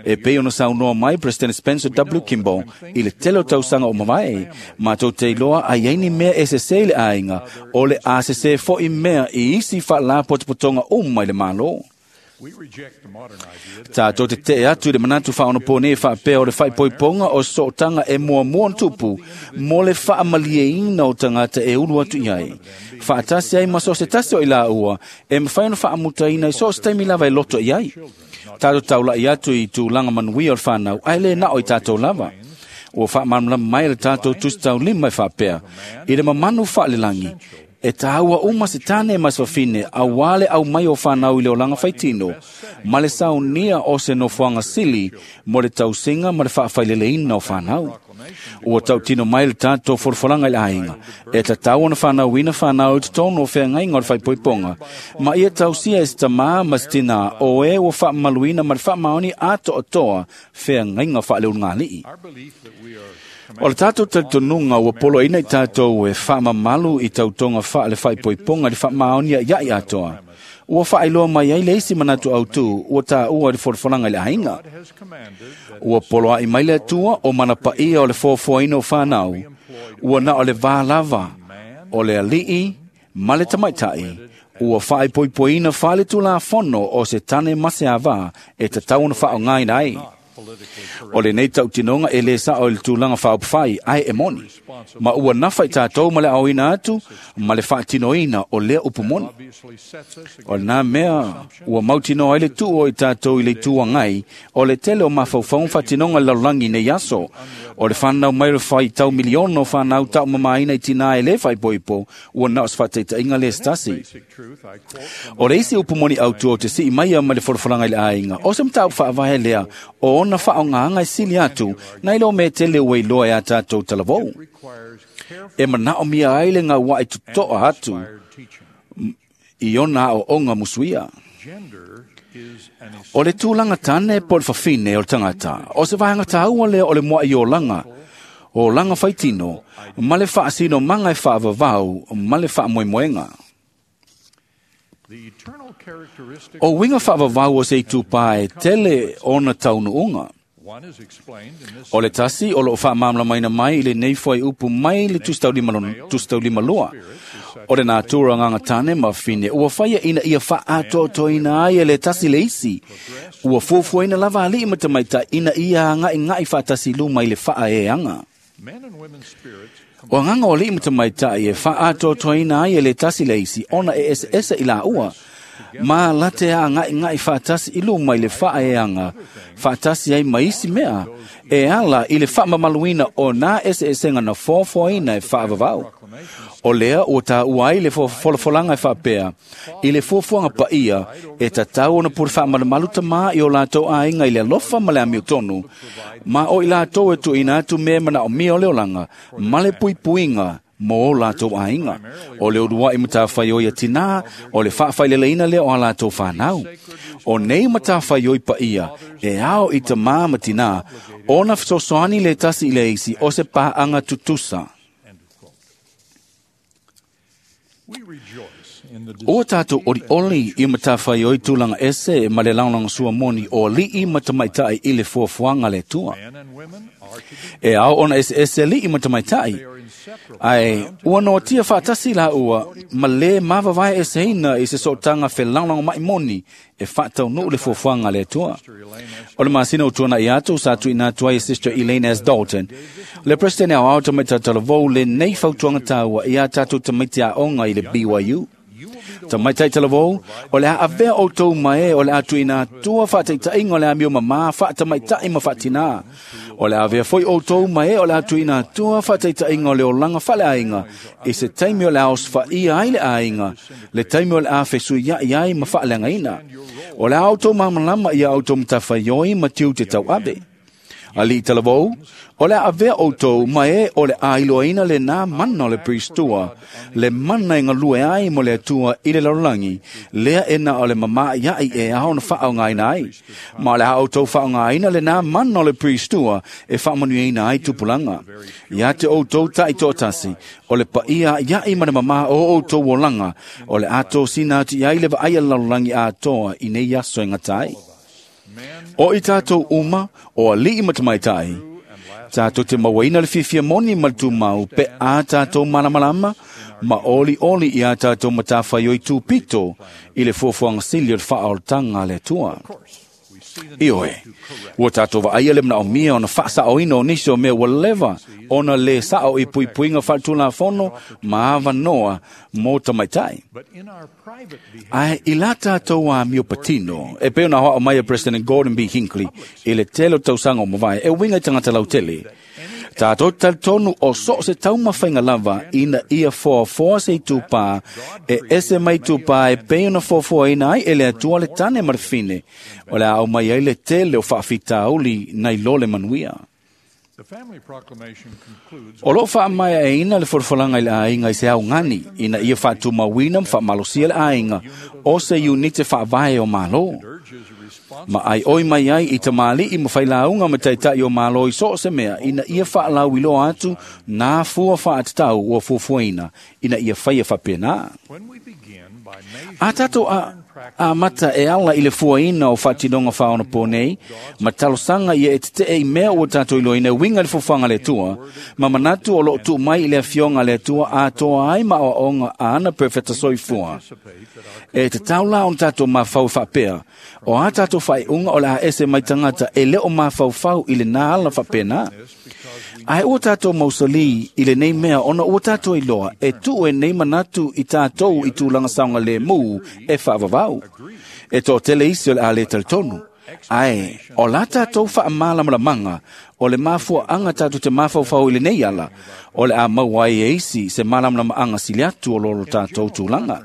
S4: E pei ona saunoa mai President Spencer W. Kimball i le tele o tausaga o mavae, matou te iloa ai ai ni mea e sesē i le aiga o le a sesē fo'i mea i isi faalapotopotoga uma i le Malo. Tātou te tee atu i le manatu faaonopō nei faapea o le faaipoipoga o sootaga e muamua ona tupu mo le faamalieina o tagata e ulu atu i ai. Faatasi ai ma so o se tasi o i laua e mafai ona faamutaina i so o se taimi lava e loto i ai. Tātou taula'i atu i tulaga manuia o le fanau ae lē nao i tatou lava. Ua faamalamalama mai le tatou tusitaulima e faapea i le mamanu faalelagi e tāua uma se tane ma se fafine auā le au mai o fanau i le olaga faitino ma le saunia o se nofoaga sili mo le tausiga ma le faafaileleina o fanau. Ua tautino mai le tatou folafolaga i le aiga e tatau ona fanauina fanau i totonu o feagaiga o le faaipoipoga ma ia tausia e se tamā ma se tinā o e ua faamamaluina ma le faamaoni atoatoa feagaiga faaleulugalii. O le tatou talitonuga ua poloaina i tatou e faamamalu i tautoga faale faaipoipoga i le faamaoni ia'i atoa. Ua faailoa mai ai le isi manatu autū ua tāua i le folafolaga i le aiga. Ua poloa'i mai le Atua o mana paia o le foafoaina o fanau. Ua na o le vā lava o le ali'i ma le tamaitai. Ua faaipoipoina faale tulafono o se tane ma se avā e tatau ona faaaogaina ai. O lenei tautinoga e lē sa'o i le tulaga faaupufai ae e moni. Ma ua nafa i tatou ma le aoina atu ma le faatinoina o lea upu moni. O lenā mea ua mautinoa ai le tuu o i tatou i le itu agai o le tele o mafaufauga faatinoga i le lalolagi nei aso. O le fanau mai o le faitau miliona o fanau taʻumamāina i tinā e lē faaipoipo ua na o se faataitaʻiga lē se tasi. O le isi upu moni autū o te si'i maia mai le folafolaga i le aiga o se mataupu faavae lea o ona faaaogāga e sili atu nai lo mea tele ua iloa e a tatou talavou. E manaʻomia ai le gauaʻi totoa atu i ona aoaoga musuia. O le tulaga tane po o le fafine o le tagata, o se vaega tāua lea o le muaʻi olaga, olaga faitino, ma le faasinomaga e faavavau ma le faamoemoega. O uiga faavavau o se itupā e tele ona taunuuga. O le tasi o loo faamalamalamaina mai i lenei fuaiupu mai le tusitaulima lua. O le natura agaga tane ma fine ua faia ina ia faaatoatoaina ai e le tasi le isi. Ua fuafuaina lava ali'i ma tamaitai ina ia aga'iga'i faatasi luma i le faaeaga. O agaga o ali'i ma tamaitai e faaatoatoaina ai e le tasi le isi ona e eseese i laua. Ma late a aga'iga'i faatasi i luma i le faaeaga faatasi ai ma isi mea e ala i le faamamaluina o nā eseesega na foafoaina e faavavau. O lea ua tāua ai le folafolaga e faapea i le fuafuaga paia e tatau ona pule faamalumalu tamā i o latou aiga i le alofa ma le amiotonu ma o i latou e tuuina atu mea manaʻomia o le olaga ma le puipuiga mo o latou aiga. O le ulua'i matafaioi a tinā o le faafaileleina lea o a latou fanau. O nei matafaioi paia e ao i tamā ma tinā ona fesoasoani le tasi i le isi o se paaga tutusa. Ua tatou olioli i matafaioi tulaga ese ma le lagolagosua moni o ali'i ma tamaitai i le fuafuaga le Atua. E ao ona eseese ali'i ma tamaitai, ae ua noatia faatasi laua ma lē mavavae eseina i se sootaga felagolagomaʻi moni e faataunuu le fuafuaga a le Atua. O le masina o tuana i atu sa tuina atu ai Sister Elaine S. Dalton. Le President au au tamaiti talavou le nei fautuanga tāua i a tātou tamaiti a onga i le BYU. Tamaitai talavou, o le a avea o tau mai o le a tuina tua whaataitainga o le a mio mama whaatamaitai ma whaatina. O le a avea foi o tau mai o le a tuina tua whaataitainga o le olanga whaleainga i se taimi o le a oswhaia ai le ainga, le taimi o le a whesui iai ma whaaleangaina. O le a autou mamalama ia autou matawhaioi ma tiu te tau ave. Ali talavou, o le a avea outou mai o le a iloaina le nā mana o le priestua, le mana e ngalue ai mo le atua i le lalolagi, lea e na o le mama iai e ao na whaongaina ai. Ma o le a outou whaongaina le nā mana o le priestua e whaamanuiaina ai tupulanga. Ia te outou tai toatasi, o le paia iai ma le mama o outou olanga, o le ato sina atu iai le vaai a le lalolagi atoa i nei aso e ngatai. O i tātou uma, o alii matamaitai, tātou te mawaina le fiafia moni ma le tumau pe a tātou malamalama, ma oli oli i a tātou matawhaioi tūpito i le fuafuaga sili o le faaolataga a le Atua. Ioe, ua tātou vaaia le manaomia ona faasaoina o nisi o mea ua leva ona le sao i puipuiga faaletulafono ma avanoa mo tamaitai. Ae i la tātou amio patino, e pei ona hoao mai e President Gordon B. Hinckley i le tele o tausaga o mavae e uiga i tagata lautele. Tātou talitonu o so se taumafaiga lava ina ia foafoa se itupā e ese mai itupā e pei ona foafoaina ai e le Atua le tane ma le fine, o le a au mai ai le tele o faafitauli nai lo le manuia. O loo faamaeaina le folafolaga i le aiga i se augani ina ia faatumauina ma faamalosia le aiga o se iunite faavae o Malo. Ma ai oi mai ai i tamalii ma failauga ma taitai o Malo i so o se mea ina ia faalauiloa atu nā fua faatatau ua fuafuaina ina ia faia faapenā. A tātou a mata e ala i le fuaina o faatinoga faaonapo nei, ma talosaga ia e tetee i mea ua tātou iloaina e uiga i le fofoga le Atua, ma manatu o loo tuu mai i le afioga a le Atua atoa ai ma aoaoga a ana perofeta soifua. E tatau la ona tātou mafau faapea, o a tātou faaiuga o le a ese mai tagata e le o mafaufau i lenā ala faapenā. Ae ua tātou mausali i lenei mea ona ua tātou iloa e tuu e nei manatu i tātou i tulaga saoga lemu e faavavau. E toatele isi o le a le talitonu. Ae, o la tātou faamalamalamaga o le mafuaaga tātou te mafaufau i lenei ala, o le a maua ai e isi se malamalamaaga sili atu o lolo tātou tulaga.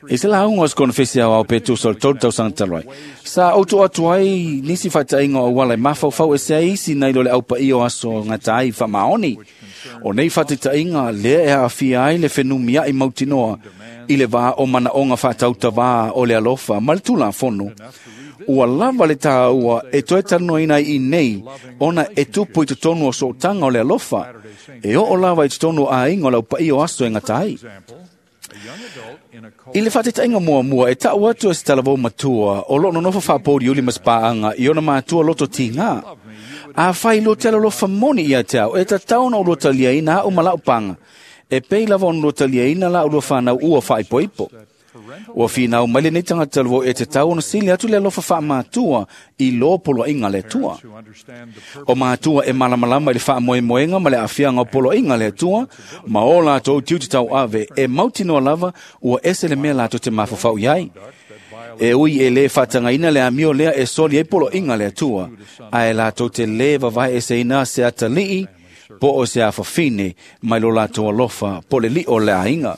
S4: I se lauga o se konofesi au au pe tusa o le 3 tausaga talu ai. Sa outou atu ai nisi faataiga o auala e mafaufau e se ai isi nai lo le aupaia o aso gata ai faamaoni. O nei faataitaiga lea e aafia ai le fenumiai mautinoa i le vā o manaoga faatautavā o le alofa ma le tulafono. Ua lava le tāua e toe talanoaina ai i nei ona e tupu i totonu o sootaga o le alofa e oo lava i totonu o aiga o le aupaia o aso e gata ai. I le faataitaiga muamua e taʻu atu e se talavou matua o loo nonofo faapouliuli ma se paaga i ona matua loto tigā. Afai lo te alolofa moni ia te au, e tatau ona ulua taliaina aʻu ma laʻu paga, e pei lava ona ulua taliaina laʻu lua fanau ua faaipoipo. Ua finau mai lenei tagata talavou e tatau ona sili atu le alofa faamatua i lo poloaiga le Atua. O matua e malamalama i le faamoemoega ma le aafiaga o poloaiga le Atua, ma o latou tiute tauave e mautinoa lava ua ese le mea latou te mafaufau i ai. E ui e lē faatagaina le amio lea e soli ai poloaiga le Atua, ae latou te lē vavae eseina se atalii po o se afafine mai lo latou alofa po le liʻo o le aiga.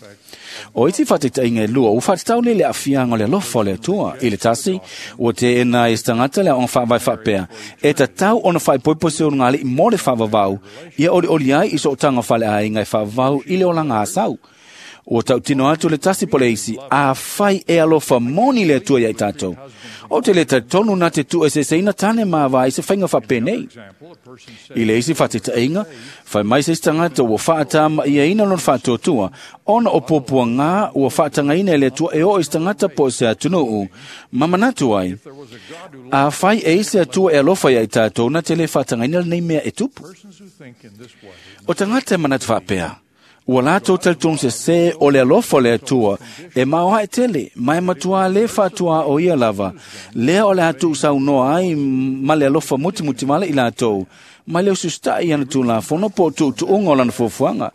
S4: O isi faataitaiga e lua, ua faatatau nei le aafiaga o le alofa o le Atua. I le tasi, ua teena e se tagata le aoga faavae faapea, e tatau ona faaipoipo se ulugalii mo le faavavau, ia olioli ai i sootaga faleaiga e faavavau i le olaga asau. Ua tautino atu le tasi po le isi, afai e alofa moni le Atua ia i tātou. O te le talitonu na te tuueseeseina tane ma avā i se faiga faapenei. I le isi faataitaiga, fai mai se isi tagata ua faatama'iaina lona faatuatua, ona o puapuagā ua faatagaina e le Atua e oo i se tagata po o se atunuu, ma manatu ai, afai e i se Atua e alofa ia i tātou na te lē faatagaina lenei mea e tupu. O tagata e manatu faapea, Ua latou talitonu sesē o le alofa o le Atua e maoae tele, ma e matuā lē faatuā o ia lava, lea o le a tuusaunoa ai ma le alofa mutimutivale i latou, mai le ususitaʻi ana tulafono po o tuutuuga o lana fuafuaga.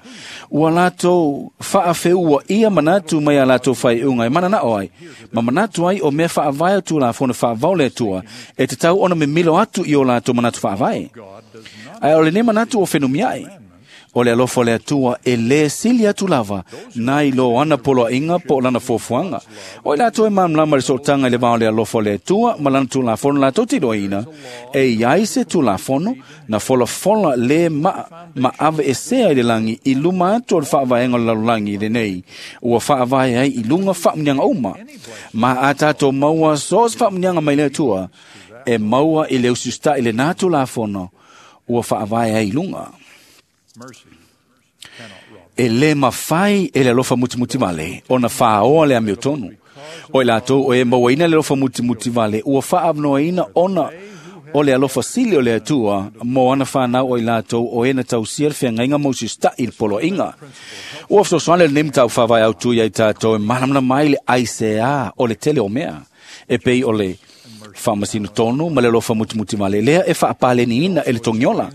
S4: Ua latou faafeua ia manatu mai a latou faiuga e mananao ai, ma manatu ai o mea faavae o tulafono faavao le Atua, e tatau ona mimilo atu i o latou manatu faavae. Ae o lenei manatu o fenumiai. O le alofa o le Atua e lē sili atu lava nai lo ana poloaiga po o lana fuafuaga. O i latou e malamalama i le sootaga i le va o le alofa o le Atua ma lana tulafono latou te iloaina, e i ai se tulafono na folafola lē ma aveesea i le lagi i luma atu o le faavaega o le lalolagi lenei, ua faavae ai i luga faamuniaga uma. Ma a tatou maua so o se faamuniaga mai le Atua, e maua i le usiusitaʻi lenā tulafono ua faavae ai i luga. E lē mafai e le alofa mutimutivale ona fāoa le amiotonu. O i latou o e mauaina le alofa mutimutivale ua faaavanoaina ona o le alofa sili o le Atua mo ana whanau o i latou o e na tausia le feagaiga ma usiusitaʻi i le poloaiga. Ua fesoasoani lenei mataupu faavae autu ia i tatou e malamalama ai le aiseā o le tele o mea, e pei o le faamasino tonu ma le alofa mutimutivale lea e faapaleniina e le togiola.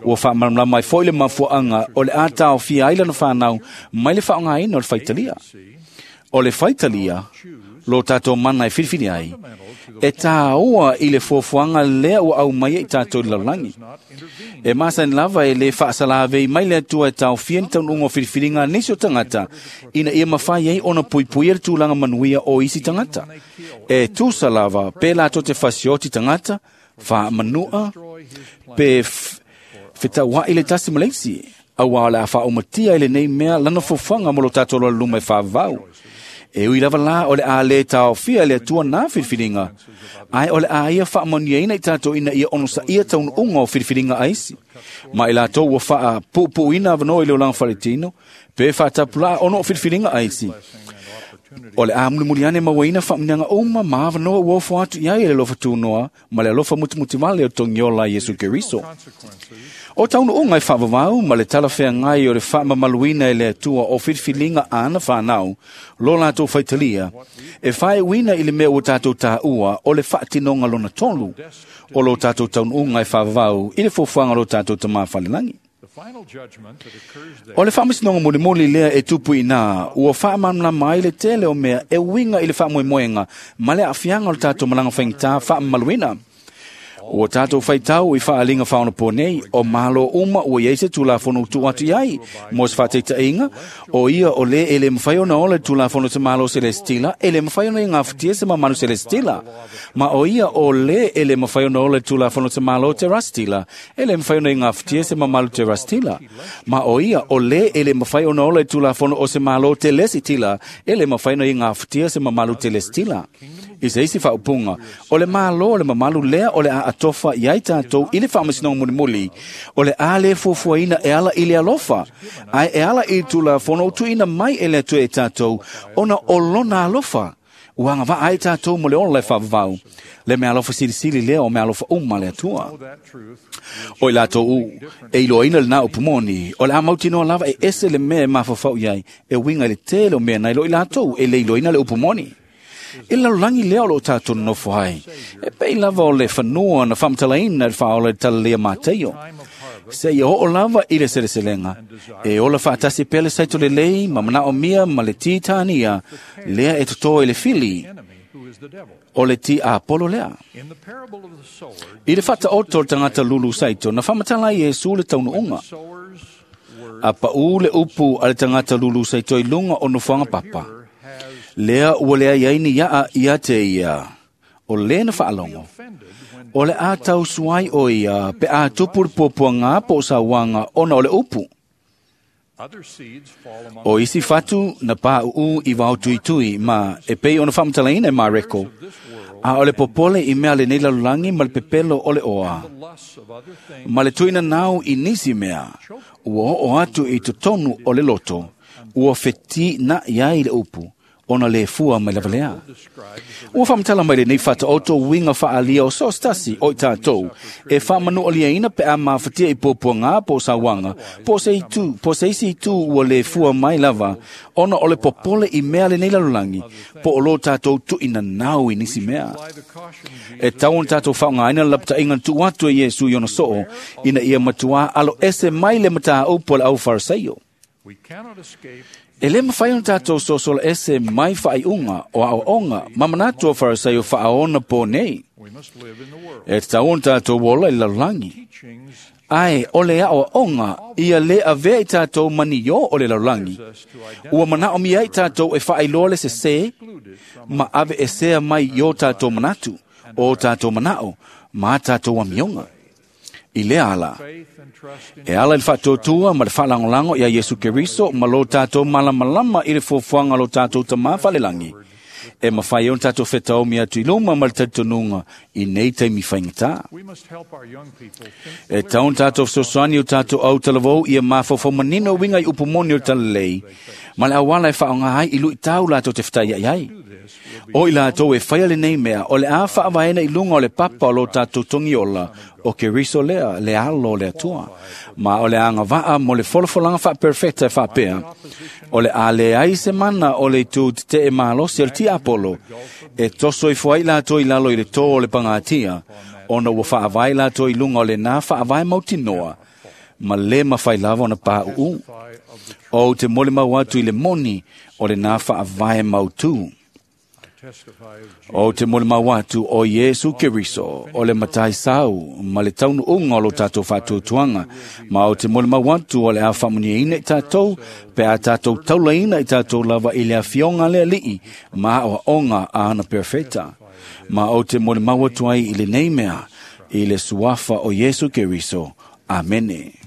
S4: Ua faamalamalama ai foi le mafuaaga o le a taofia ai lana whanau mai le faaaogaina o le faitalia. O le faitalia, lo tatou mana e filifili ai, e tāua i le fuafuaga lea ua aumaia i tatou i le lalolagi. E masani lava e lē faasalavei mai le Atua e taofia ni taunuuga o filifiliga a nisi o tagata, ina ia mafai ai ona puipuia le tulaga manuia o isi tagata. E tusa lava pe latou te fasioti tagata, faamanua, pe fetauaʻi le tasi ma le isi, auā o le a faaumatia i lenei mea lana fuafuaga mo lo tatou loaluma e faavavau. E ui lava la o le a lē taofia le Atua nā filifiliga, ae o le a ia faamanuiaina i tatou ina ia onosaia taunuuga o filifiliga a isi. Ma i latou ua faapuupuuina avanoa i le olaga faletino, pe faatapulaa ona o filifiliga a isi. O le a mulimuli ane mauaina faamuniaga uma ma avanoa ua ofo atu i ai e le alofa tunoa ma le alofa mutimutivale o togiola Iesu Keriso. O taunuuga e faavavau ma le talafeagai o le faamamaluina e le Atua o filifiliga a ana whanau, lo latou faitalia, e faeuina i le mea ua tatou tāua o le faatinoga lona tolu, o lo tatou taunuuga e faavavau i le fuafuaga o lo tatou Tamā falelagi. O le faamasinoga mulimuli lea e tupu inā, ua faamalamalama ai le tele o mea e uiga i le faamoemoega ma le aafiaga o le tatou malaga faigata faamamaluina. Ua tatou faitau i faaaliga faaonapo nei, o malo uma ua iai se tulafono tuu atu i ai mo se faataitaiga, o ia o lē e lē mafai ona ola i le tulafono se malo selestila, e lē mafai ona igafatia se mamalu selestila. Ma o ia o lē e lē mafai ona ola i le tulafono se malo terastila, e lē mafai ona igafatia se mamalu terastila. Ma o ia o lē e lē mafai ona ola i le tulafono o se malo telesitila, e lē mafai ona igafatia se mamalu telesitila. I se isi faaupuga, o le malo o le mamalu lea o le a atofa i ai tatou i le faamasinoga mulimuli, o le a lē fuafuaina e ala i le alofa, ae e ala i le tulafono o tuuina mai e le Atua e tatou, ona o lona alofa. Ua agavaa ai tatou mo le ola e faavavau. Le mea alofa silisili lea o mea alofa uma le Atua. O i latou u, e iloaina lenā upu moni, o le a mautinoa lava e ese le mea e mafaufau i ai, e uiga i le tele o mea nai lo i latou e le iloaina le upu moni. I le lalolagi lea o loo tatou nonofo ai, e pei lava o le fanua na faamatalaina i le faaola i le talalea Mateio. Se ia oo lava i le seleselega, e ola faatasi pea le saito lelei ma manaomia ma le titania lea e totō i le fili, o le ti Apolo lea. I le faataoto o le tagata lulu saito, na faamatala ai Iesu le taunuuga. A paū le upu a le tagata lulu saito i luga o nofoaga papa, lea ua leai ai ni iaa ia te ia, o lē na faalogo. O le a tausuai o ia pe a tupu le puapuaga po o sauaga ona o le upu. O isi fatu na pāuu i vaotuitui ma e pei ona faamatalaina e Mareko, a o le popole i mea lenei lalolagi ma le pepelo o le oa, ma le tuina nau i nisi mea, ua oo atu i totonu o le loto, ua fetinaʻi ai le upu, ona le fua mai lava lea. Ua faamatala mai lenei faataoto uiga faaalia o so o se tasi o i tatou e faamanualiaina pe a mafatia i puapuaga po o sauaga po o se isi itu ua le fua mai lava ona o le popole i mea lenei lalolagi po o lo tatou tuuinanau i nisi mea. E tatau ona tatou faaaogaina le lapataiga na tuu atu e Iesu i ona soo ina ia matuā alo ese mai le mataupu a le aufarisaio. E lē mafai ona tatou sosola ese mai faaiuga o aoaoga ma manatu o Farisaio faaona po nei. E tatau ona tatou ola i le lalolagi. Ae o le aoaoga ia lē avea i tatou maniō o le lalolagi. Ua manaomia ai tatou e faailoa le sesē ma aveesea mai i o tatou manatu, o tatou manao ma a tatou amioga. I lea ala, e ala i le faatuatua ma le faalagolago iā Iesu Keriso ma lo tatou malamalama i le fuafuaga o lo tatou Tamā falelagi, e mafai ai ona tatou fetaomi atu i luma ma le talitonuga i nei taimi faigata. E tatau ona tatou fesoasoani o tatou autalavou ia mafaufau manino uiga i upu moni o le talalelei ma le auala e faaaoga ai i luitau latou te fetaiai ai. O i latou e faia lenei mea, o le a faavaena i luga o le papa o lo tatou togiola o Keriso lea, le alo o le Atua. Ma o le agavaa mo le folafolaga faaperefeta e faapea, o le a leai se mana o le itu tetee malosi o le tiapolo, e toso ifo ai latou i lalo i le tō o le pagatia, ona ua faavae latou i luga o lenā faavae mautinoa, ma lē mafai lava ona pauu. Ou te molimau atu i le moni o lenā faavae mautū. Ou te molimau atu o Iesu Keriso, o le matai sau ma le taunuuga o lo tatou faatuatuaga, ma ou te molimau atu o le a faamuniaina i tatou, pe a tatou taulaina i tatou lava i le afioga a le Alii ma aoaoga a ana perofeta. Ma ou te molimau atu ai i lenei mea, i le suafa o Iesu Keriso. Amene.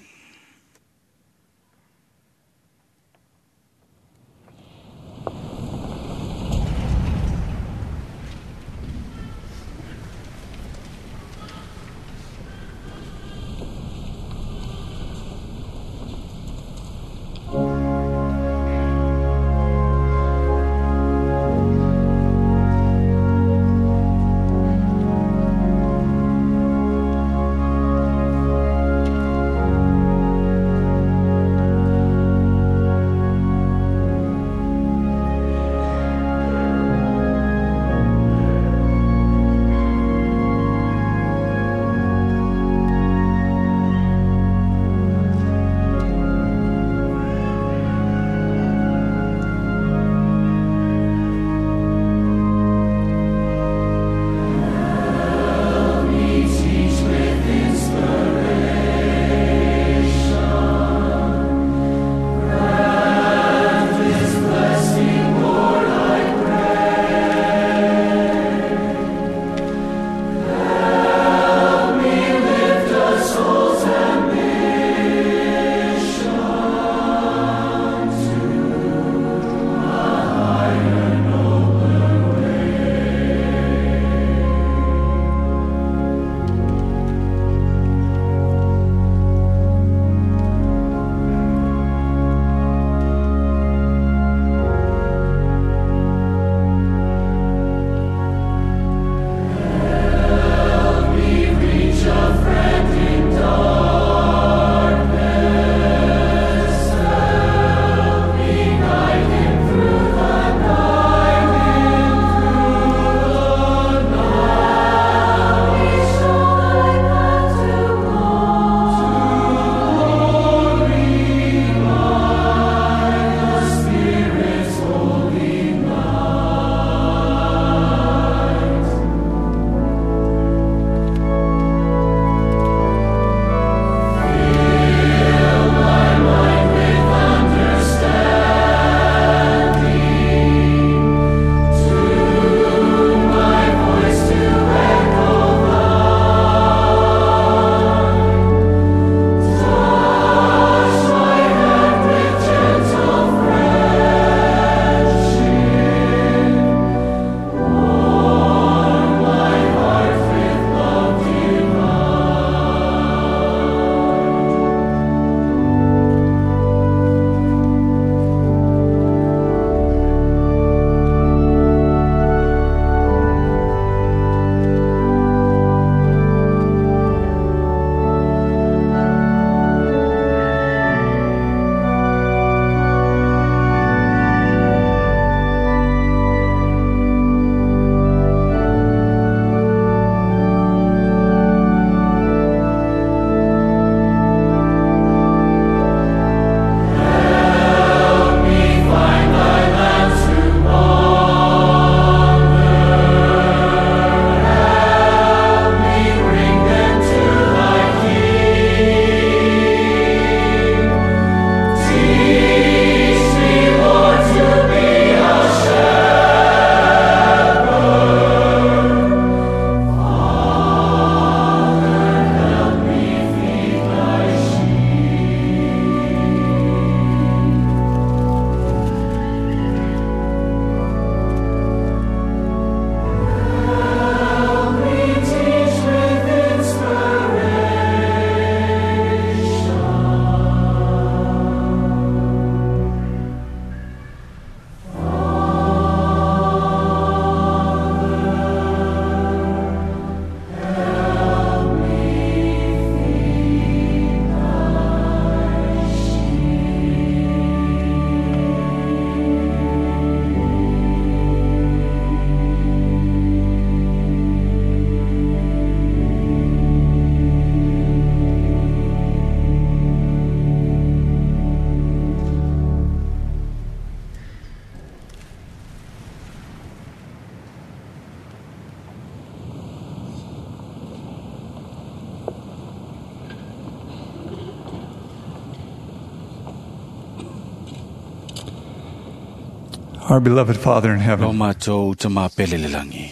S6: Our beloved Father in
S4: Lo
S6: heaven,
S4: mātou ta mā pele le langi.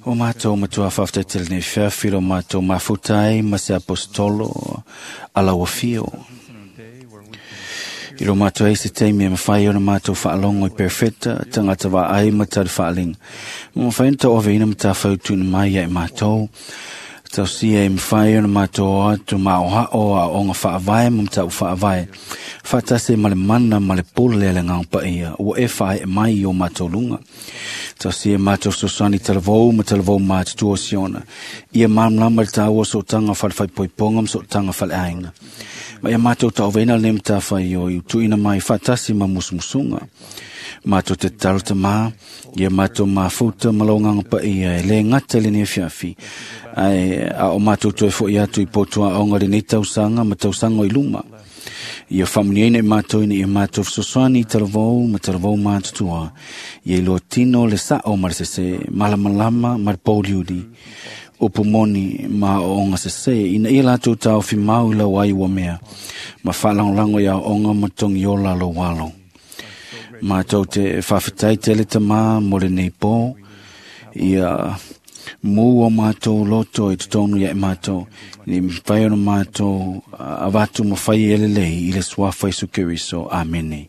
S4: O mātou matua whawhtai nei whiawhi lo mātou mafutai ma se apostolo ala wafio. I lo mātou e se teimi e mawhai ona mātou whaalongo i perfecta, tangata wa ai ma tari whaalinga. Ma mawhai na tau ove ina ma tā whautuna mai ia i mātou. Tau sia e mawhai ona mātou atu ma o hao a onga whaavae ma mtau whaavae. Whatase ma le mana ma le pole le ngā paia, ua e whae e mai i o mātou lunga. Tau sia mātou sosani talavou ma talavou mā te tua siona. Ia māmlama le tāua so tanga whale poiponga ma so tanga whale ainga. Ma ia mātou tau vena le mta whai o i tuina mai whatasi ma musumusunga. Mātou te tarata mā, ia mātou mafuta ma launganga pa ia e le ngata le nei fiafi. Ai, a o mātou toe fo i atu i potua onga le nei tausanga ma tausanga i luma. Ia whamuniaina i mātou ina ia mātou fesoasoani i talavou ma talavou mātutua. Ia iloa tino le sao ma le sese, malamalama ma le pōliuli. Upu moni ma o onga sese, ina ia lātou tāofi mau i lau ai ua mea. Ma whaalangolango ia onga ma tongi o lalo walo. Mātou te whawhitai te le tamā mo le nei pō, ia mū o mātou loto i totonu ia i mātou, ni mwhai ono mātou avatu ma whai ele lei i le suafa Isu Keriso. Amene.